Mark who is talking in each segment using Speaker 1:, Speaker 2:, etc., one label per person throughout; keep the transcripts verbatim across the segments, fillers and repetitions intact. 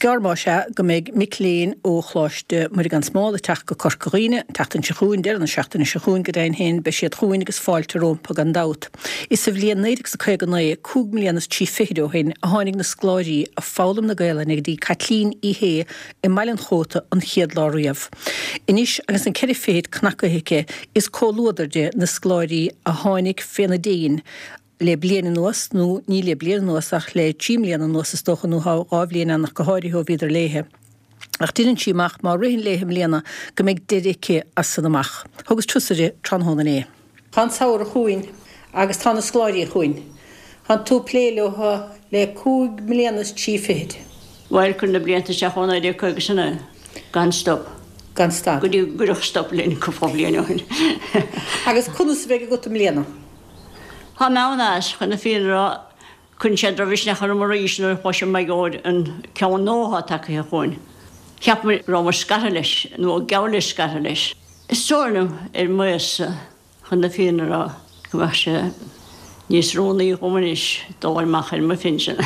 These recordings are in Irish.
Speaker 1: gearr más ea go mbeidh mic léinn ó Choláiste Muire gan Smál ag teacht go Corca Dhuibhne, an tseachtain seo chugainn, deireadh na seachtaine seo chugainn go deimhin féin, beidh siad chugainn agus fáilte rompu gan dabht. Is sa bhliain naoi déag is a caoga naoi, cúig mbliana is trí fichid ó shin, a tháinig na scoláirí ag foghlaim na Gaelainne go dtí Caitlín Uí Shé i mBaile an Chóta an chéad lá riamh. Anois agus an ceithre fichid cnacaithe aici, is comhluadar di na scoláirí a tháinig féna déin le bliain anuas, nó ní le bliain anuas ach le trí mbliana anuas is dócha, nó dhá bhliain ann ach go háirithe ó bhíodar léithe. Ach deireann sí amach má ritheann léithe i mbliana go mbeidh deireadh aici as san amach. Thugas turas uirthi tráthnóna inné. Tá an samhradh chugainn agus tá na scoláirí chugainn. Tá tú ag plé leo le cúig mbliana is trí fichid.
Speaker 2: Bhuel, cuir na blianta isteach ó naoi déag caoga is a naoi, gan stop.
Speaker 1: Gan stad.
Speaker 2: Go dtí go gcuireadh stop linn cúpla bliain ó shin.
Speaker 1: Agus conas a bheidh agat i mbliana?
Speaker 2: Tá mé an-as, chun na fírinne a rá. Cuireann sé drochmhisneach orm arís nuair a chloisim mar gheall ar an ceann nua atá tagtha chugainn. Cheap mé go rabhamar scartha leis, nó geall le scartha leis. Is dóigh liom, ar m'aois-sa, chun na fírinne a rá, go mbeadh sé níos rúnaí dhom anois dul amach ar mo phinsean.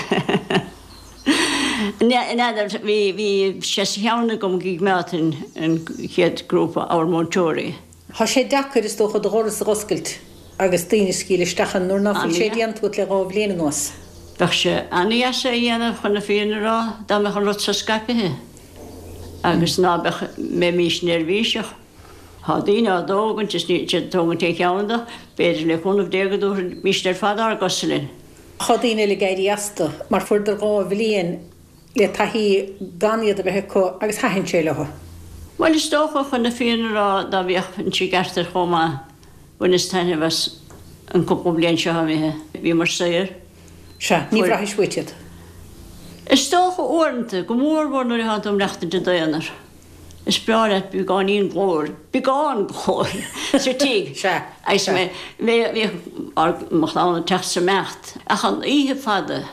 Speaker 2: N'fheadar, bhí, bhí sé sa cheann agam go gcoimeádfainn an chéad grúpa abhar-múinteoirí.
Speaker 1: Tá sé deacair, is dócha, do dhoras a dh'oscailt agus daoine a scaoileadh isteach ann nuair ná fuil sé déanta agat le dhá bhliain anuas.
Speaker 2: Bheadh sé an-dheas é a dhéanamh, chun na fírinne a rá, dá mbeadh an rud so scaipithe agus ná beadh, mbeimís neirbhíseach. Tá daoine á dtógaint is níl siad ag tógaint aon cheann de, b'fhéidir le cúnamh Dé go dtabharfaimíst ar fad ár gcosa linn.
Speaker 1: Tá daoine eile ag éirí astu mar fuaireadar dhá bhliain le taithí gan iad a bheith acu agus thaitin sé leo.
Speaker 2: Bhuel, is dócha, chun na fírinne a rá, dá bhféachfainnse i gceart air chomh maith, bhaineas taitneamh as an cúpla bliain seo imithe. Bhíomar saor.
Speaker 1: Sea, ní bhraithis uait iad.
Speaker 2: Is dócha, uaireanta, go mór mhór nuair atánn tú ag maireachtaint i d'aonar. Is breá leat beagáinín glóir, beagán glóir, sa tigh.
Speaker 1: Sea,
Speaker 2: Agus
Speaker 1: sea.
Speaker 2: mé, bhíodh ár, mo chlann ag teacht is ag imeacht, ach an oíche fada,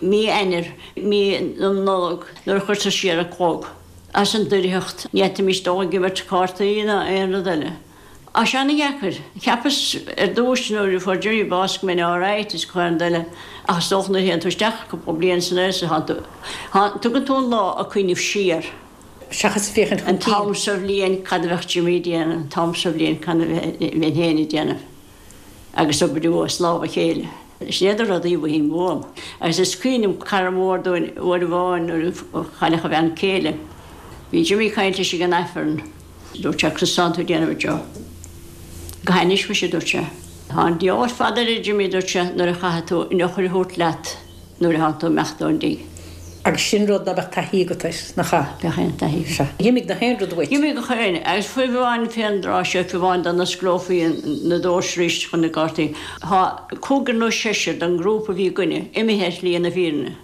Speaker 2: Mí Eanáir, mí na Nollag, nuair a chuirtear siar an clog as an doircheacht, ní fhéadfaimis dul ag imirt cártaí ná aon rud eile. Tá sé ana-dheacair. Cheapas ar dtúis nuair a fuair Jimmy bás go mbeinn alright is gach aon rud eile ach is dócha nuair a théann tú isteach cúpla bliain san aois a thánn tú, tugann tú an lá ag cuimhneamh siar.
Speaker 1: Seachas ag féachaint chun
Speaker 2: An
Speaker 1: cinn.
Speaker 2: t-am sa bhliain cad a bheadh Jimmy ag déanamh, an t-am sa bhliain cad a bheinn féin ag déanamh. Agus oibriú as lámh a chéile. Sin iad na rudaí a mhothaím uaim. Agus is cuimhin liom cara mór dúinn uair amháin nuair a cailleadh a bhean céile. Bhí Jimmy ag caint leis ag an Aifreann. Dúirt sé, Conas tánn tú ag déanamh a Joe? Go hainnis muise, a dúirt sé. Tá an diabhal ar fad air, a Jimmy, a dúirt sé, nuair a chaithfidh tú an eochair a thabhairt leat. Nuair a thánn tú ag imeacht ón dtigh.
Speaker 1: Agus sin rud ná beadh taithí agat air, nach ea?
Speaker 2: Bheadh aon taithí agat.
Speaker 1: Sea. D'imigh nach aon rud uait.
Speaker 2: D'imigh gach aon, agus fiú amháin fén dtráth seo, fiú amháin dá n-osclófaí na doirse arís chun na gcártaí, tá cúigear nó seisear den ngrúpa a bhí againne imithe ar shlí na fírinne.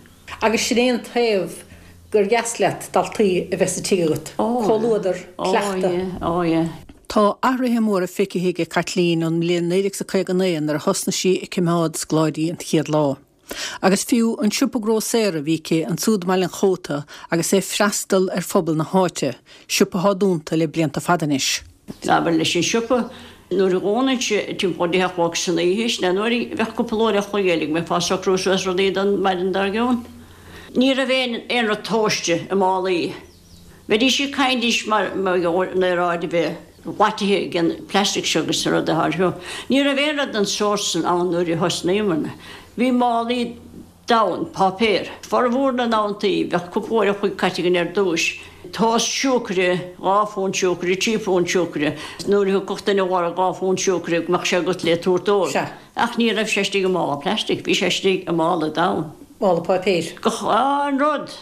Speaker 1: Agus sin é an taobh gur dheas leat daltaí a bheith sa tigh agat. Comhluadar, cleachtadh.
Speaker 2: Ó yeah, ó yeah.
Speaker 1: Tá athruithe móra feicthe aige Caitlín ón mbliain naoi déag is a caoga naoi nuair a thosnaigh sí ag coimeád scoláirí an chéad lá. Agus fiú an siopa grósaera a bhí aici ansúd i mBaile an Chóta agus é ag freastal ar phobal na háite, siopa atá dúnta le blianta fada anois.
Speaker 2: Abair leis an siopa, nuair a dhúnainnse timpeall a deich a chlog san oíche, sin é nuair a bheadh cúpla uair a chloig eile go mbeifeá ag socrú suas rudaí don mhaidin dár gcionn. Ní raibh aon aon rud tomhaiste i málaí. Bheidís ag caint anois mar mar gheall ar an aeráid a bheith glaitithe ag an plastic seo agus an rud atá ar siúl. Ní raibh aon rud den sórt san ann nuair a thosnaíomarna. Bhí málaí donn páipéir. Formhór na n-amanntaí bheadh cúpla uair a chloig caite againn ar dtúis. Tomhas siúcra, dhá phunt siúcra, trí phunt siúcra. Nuair a thiocfadh duine a lorg dhá phunt siúcra go mbeadh sé agat le tabhairt dóibh.
Speaker 1: Sea.
Speaker 2: Ach ní raibh sé istigh i mála plastic, bhí sé istigh i mála donn.
Speaker 1: Mála páipéir.
Speaker 2: Gach aon rud!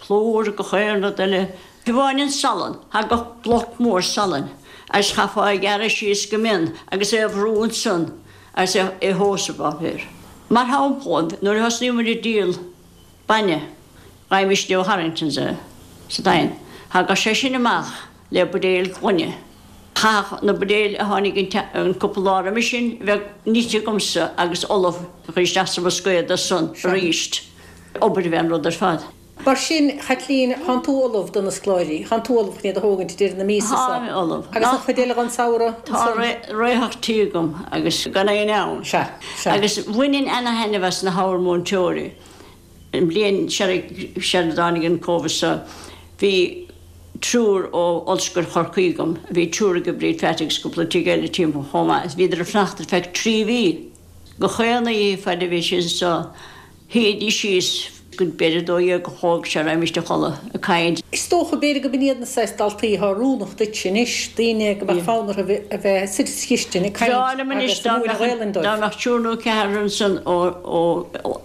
Speaker 2: Plúr, gach aon rud eile. Fiú amháin an salann, thagadh bloc mór salainn agus chaithfeá é a ghearradh síos go mion agus é a bhrú ansan agus é a thomhas i bpáipéar. Mar shampla, nuair a thosnaíomar ag díol bainne, gheibhimísne ó Harringtons é sa Daingean, thagadh sé sin amach le buidéal gloine. Chaithfeadh na buidéil a tháinig an cúpla lá roimhe sin bheith nite agamsa agus ullamh a chur isteach sa bhoscaod ansan aríst. Obair a bhí an rud ar fad.
Speaker 1: Mar sin, Chaitlín, thánn tú ullamh do na scoláirí, thánn tú ullamh chun iad a thógaint ag deireadh na míosa so.
Speaker 2: Táim ullamh.
Speaker 1: Agus an chuid eile den samhradh
Speaker 2: Tá
Speaker 1: ansan?
Speaker 2: réitheach tí agam agus gan aon fhonn.
Speaker 1: Sea, sea.
Speaker 2: Agus bhaininn ana-thaitneamh as na habhar múinteoirí. An bhliain sar a dtáinig an Covid seo, bhí triúr ó Ollscoil Chorcaí agam, bhí triúr ag Bríd Pheait agus cúpla tigh eile timpeall chomh maith, is bhíodar ag fanacht ar feadh trí mhí. Gach aon oíche fad a bhí siad anseo, shuídís síos go b'fhéidir a dó dhéag a chlog sara raghaimist a chodladh ag caint.
Speaker 1: Is dócha, b'fhéidir go b'in iad na saghas daltaí atá oiriúnach duitse anois, daoine go mbeadh fonn orthu a bheith suite sa chistin ag caint agus ag múineadh Gaelainn dóibh.
Speaker 2: Dá mbeadh triúr nó ceathrar ansan ó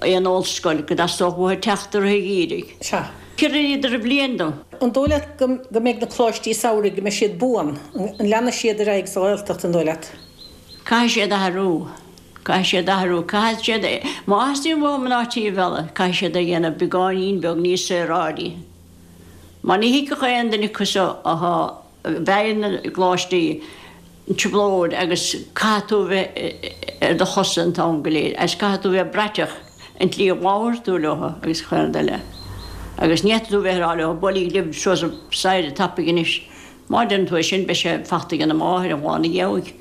Speaker 2: aon ollscoil go dteastódh uathu teacht ar a dh'iarraidh.
Speaker 1: Sea.
Speaker 2: Chuireadar bliain dom.
Speaker 1: An dóigh leat go mbeidh na coláistí samhraidh, go mbeidh siad buan? An leanfaidh siad ar aghaidh sa Ghaeltacht, an dóigh leat?
Speaker 2: Caithfidh siad athrú. Caithfidh siad athrú. Caithfidh siad, má theastaíonn uathu mná tí a mhealladh, caithfidh siad a dhéanamh beagáinín beag níos saoráidí. Mar ní thuigfeadh aon duine acu seo atá, a bheidh na gcoláistí, an trioblóid agus caithfidh tú a bheith ar do chosa an t-am go léir agus caithfidh tú a bheith braiteach an tslí a labhraíonn tú leo agus chuile rud eile. Agus ní fhéadfaidh tú bheith ag rá leo buailígí libh suas an staighre tapaidh anois. Má deireann tú é sin beidh sé fachta ag na máthair an lá ina dhiaidh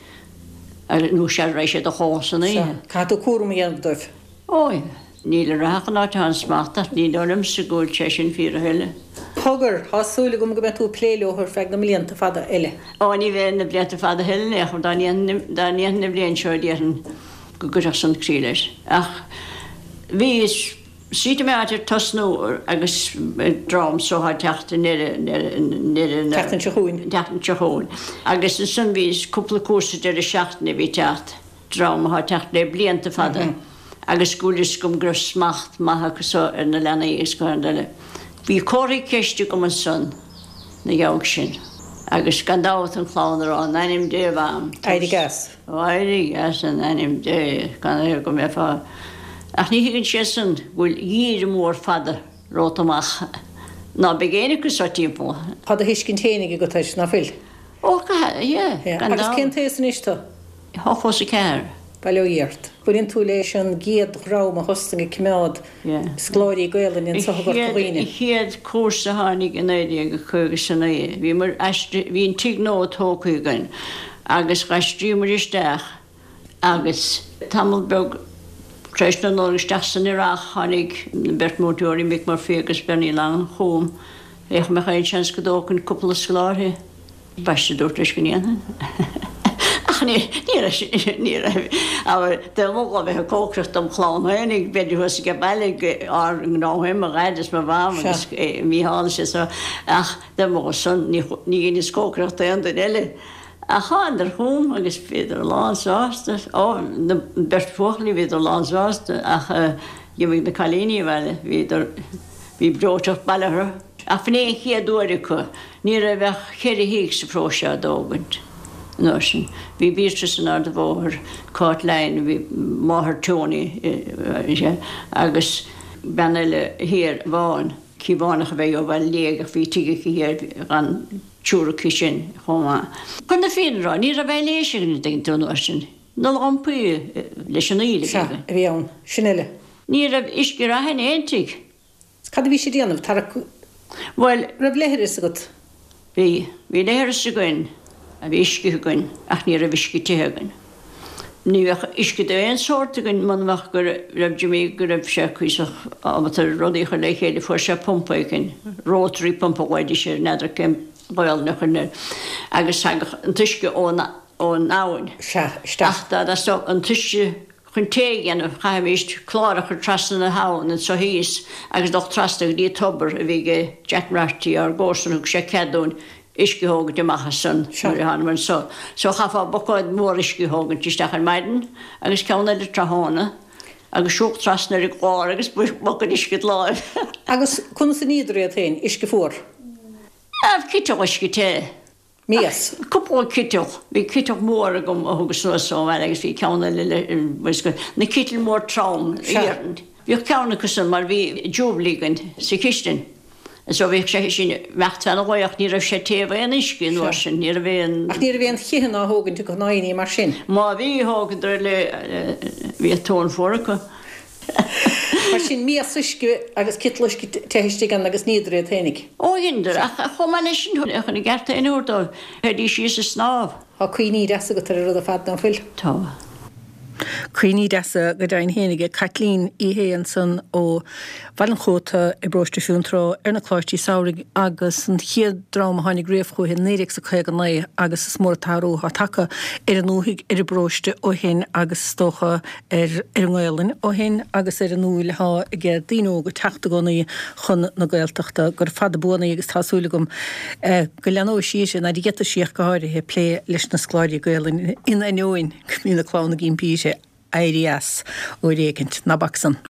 Speaker 2: agus nó sara raghaidh siad a chodladh san
Speaker 1: Sea,
Speaker 2: oíche.
Speaker 1: caithfidh tú cúram a dhéanamh dóibh.
Speaker 2: Ó, níl a rá ach an áit atá an smacht ach ní dóigh liomsa go bhfuil sé sin fíor a thuilleadh.
Speaker 1: Cogar, tá súil agam go mbeidh tú ag plé leo ar feadh na mblianta fada eile.
Speaker 2: Ó, ní bheidh na blianta fada a thuilleadh in aon chor, dá ndéanfainn an bhliain seo déarfainn go gcuirfeadh san críoch leis. Ach bhí suite mé áit ar tosnú agus dream so ag teacht i ndeireadh ndeireadh na
Speaker 1: Tseachtain seo chugainn.
Speaker 2: tseachtain seo chugainn. Agus ansan bhí cúpla cúrsa deireadh seachtaine a bhí ag teacht, dream atá ag teacht le blianta fada agus go bhfuil fhios agam go raibh smacht maith acu so ar na leanaí agus go háirithe eile. Bhí comharthaí ceiste agam ansan na dhiaidh sin agus gan dabht an chlann a rá in ainm Dé a Mham,
Speaker 1: Éirigh as.
Speaker 2: Éirigh as in ainm Dé, gan é go mbeifeá. Ach ní thuigeann siadsan go bhfuil geimhreadh mór fada romhat amach ná beidh éinne acu seo timpeall.
Speaker 1: Tá do thuiscint fhéinig agat air, ná fuil?
Speaker 2: Ó, yeah, gan
Speaker 1: Agus
Speaker 2: dabht.
Speaker 1: cén t-aos anois tú?
Speaker 2: Ochtó is a ceathair.
Speaker 1: Bail ó Dhia ort. Baineann tú leis an gcéad dhream a thosnaigh ag coimeád scoláirí Gaelainne anseo i gCorca Dhuibhne.
Speaker 2: An chéad cúrsa a tháinig i naoi déag caoga is a naoi, bhíomar aistrithe, bhí an tigh nua tógtha againn agus d'aistríomar isteach agus tamall beag tar éis na Nollag isteach san earrach tháinig an bheirt múinteoirí, Mick Murphy agus Bernie Long, chugam, féach an mbeadh aon seans go dtógfainn cúpla scoláire. Ambaiste dúirt leis go ndéanfainn. Ach ní ní raibh ní raibh abair dá mba a bheith ag cócaireacht dom chlann féinig b'fhéidir thuas ag baile ár ngnó féin mo dhaid is mo mham agus Mícheál is é so ach dá mba san ní ní dheineas cócaireacht d'aon duine eile. Ach thánadar chugam agus bhíodar lán sásta, ó na beirt bhuachaillí bhíodar lán sásta ach d'imigh na cailíní abhaile bhíodar bhí breoiteacht baile orthu. Ach b'in é an chéad uair acu, ní raibh ach ceithre thigh sa pharóiste á dtógaint an uair sin. Bhí Beatrice in Ard an Bhóthair, Cáit Lyne, bhí máthair Tony agus bean eile thiar, Bhán, Cíobhánach a bheith ó Bhaile Liag ach bhí tigh aici thiar gan triúr acu sin chomh maith. Chun na fírinne a rá, ní raibh aibhléis againn an dtuigeann tú an uair sin, na lampaí leis an aoil a bhí
Speaker 1: Sea,
Speaker 2: againn.
Speaker 1: a bhí ann. Sin uile.
Speaker 2: Ní raibh uisce reatha in aon tigh.
Speaker 1: Cad a bhí siad a dhéanamh? Tarrac.
Speaker 2: Bhuel.
Speaker 1: Raibh leithreas agat?
Speaker 2: Bhí. Bhí leithreas againn, bhí uisce againn, ach ní raibh uisce te againn. Ní bheadh uisce d'aon sórt againn muna mbeadh go raibh Jimmy, go raibh sé cuíosach ábalta rudaí a chur le chéile, fuair sé pumpa éigin, rotary pump a ghlaoidís air, n'fheadar cén Ghaolainn a chuir air, agus thagadh an t-uisce ón, ón abhainn.
Speaker 1: Sea, isteach.
Speaker 2: Ach dá dteastódh an t-uisce Chun tae a dhéanamh, chaithfimíst clár a chur trasna na habhann anso thíos agus dul trasna go dtí tobar a bhí ag Jack Mrarty, ár gcomharsan, thug sé cead dúinn uisce a thógaint amach as san nuair a thánamar anso. So chaithfeá bucáid mór uisce a thógaint isteach ar maidin agus ceann eile tráthnóna agus siúl trasna ar an gclár agus bucáid uisce id láimh.
Speaker 1: Agus conas a níodar iad féin? Uisce fuar?
Speaker 2: Citeal uisce te.
Speaker 1: Mias.
Speaker 2: Cúpla citeal. Bhí citeal mór agam a thugas anuas ón bhaile agus bhí ceann eile le, na citl mór trom, iarainn. Bhíodh ceann acu san mar bhí Jubilee againn sa chistin. And so bhíodh sé sin ag imeacht feadh an lae ach ní raibh sé téamh aon uisce an uair sin, ní raibh aon.
Speaker 1: Ach ní raibh aon chithín á thógaint acu ná aon ní mar sin.
Speaker 2: Má bhí, thógadar le, bhíodh tóin fuar acu.
Speaker 1: Mar sin, mias uisce agus citeal uisce te istigh ann agus níodar iad fhéinig.
Speaker 2: Ó, dheineadar, ach chomh maith leis sin, chun a gceart féin a thabhairt dóibh, théidís síos ag snámh.
Speaker 1: Tá cuimhní deasa agat ar an rud ar fad, ná fuil?
Speaker 2: Tá.
Speaker 1: Cuimhní deasa go deimhin féin aige Caitlín í fhéin ansan ó Bhaile an Chóta i bparóiste Fionntrá ar na Coláistí Samhraidh agus an chéad dream a tháinig riamh chuici naoi déag 's a caoga naoi agus is mór an t-athrú atá tagtha ar an ndúthaigh ar an bparóiste ó shin agus is dócha ar ar an nGaelainn ó shin agus ar an ndúil atá ag daoine óga teacht i gcónaí chun na Gaeltachta. Gura fada buan í agus tá súil agam go leanóidh sí uirthi, nuair a gheobhas sí ach go háirithe, plé leis na scoláirí Gaelainne in ainneoin go mbíonn a clann ag impí uirthi éirí as uair éicint. Ná bac san.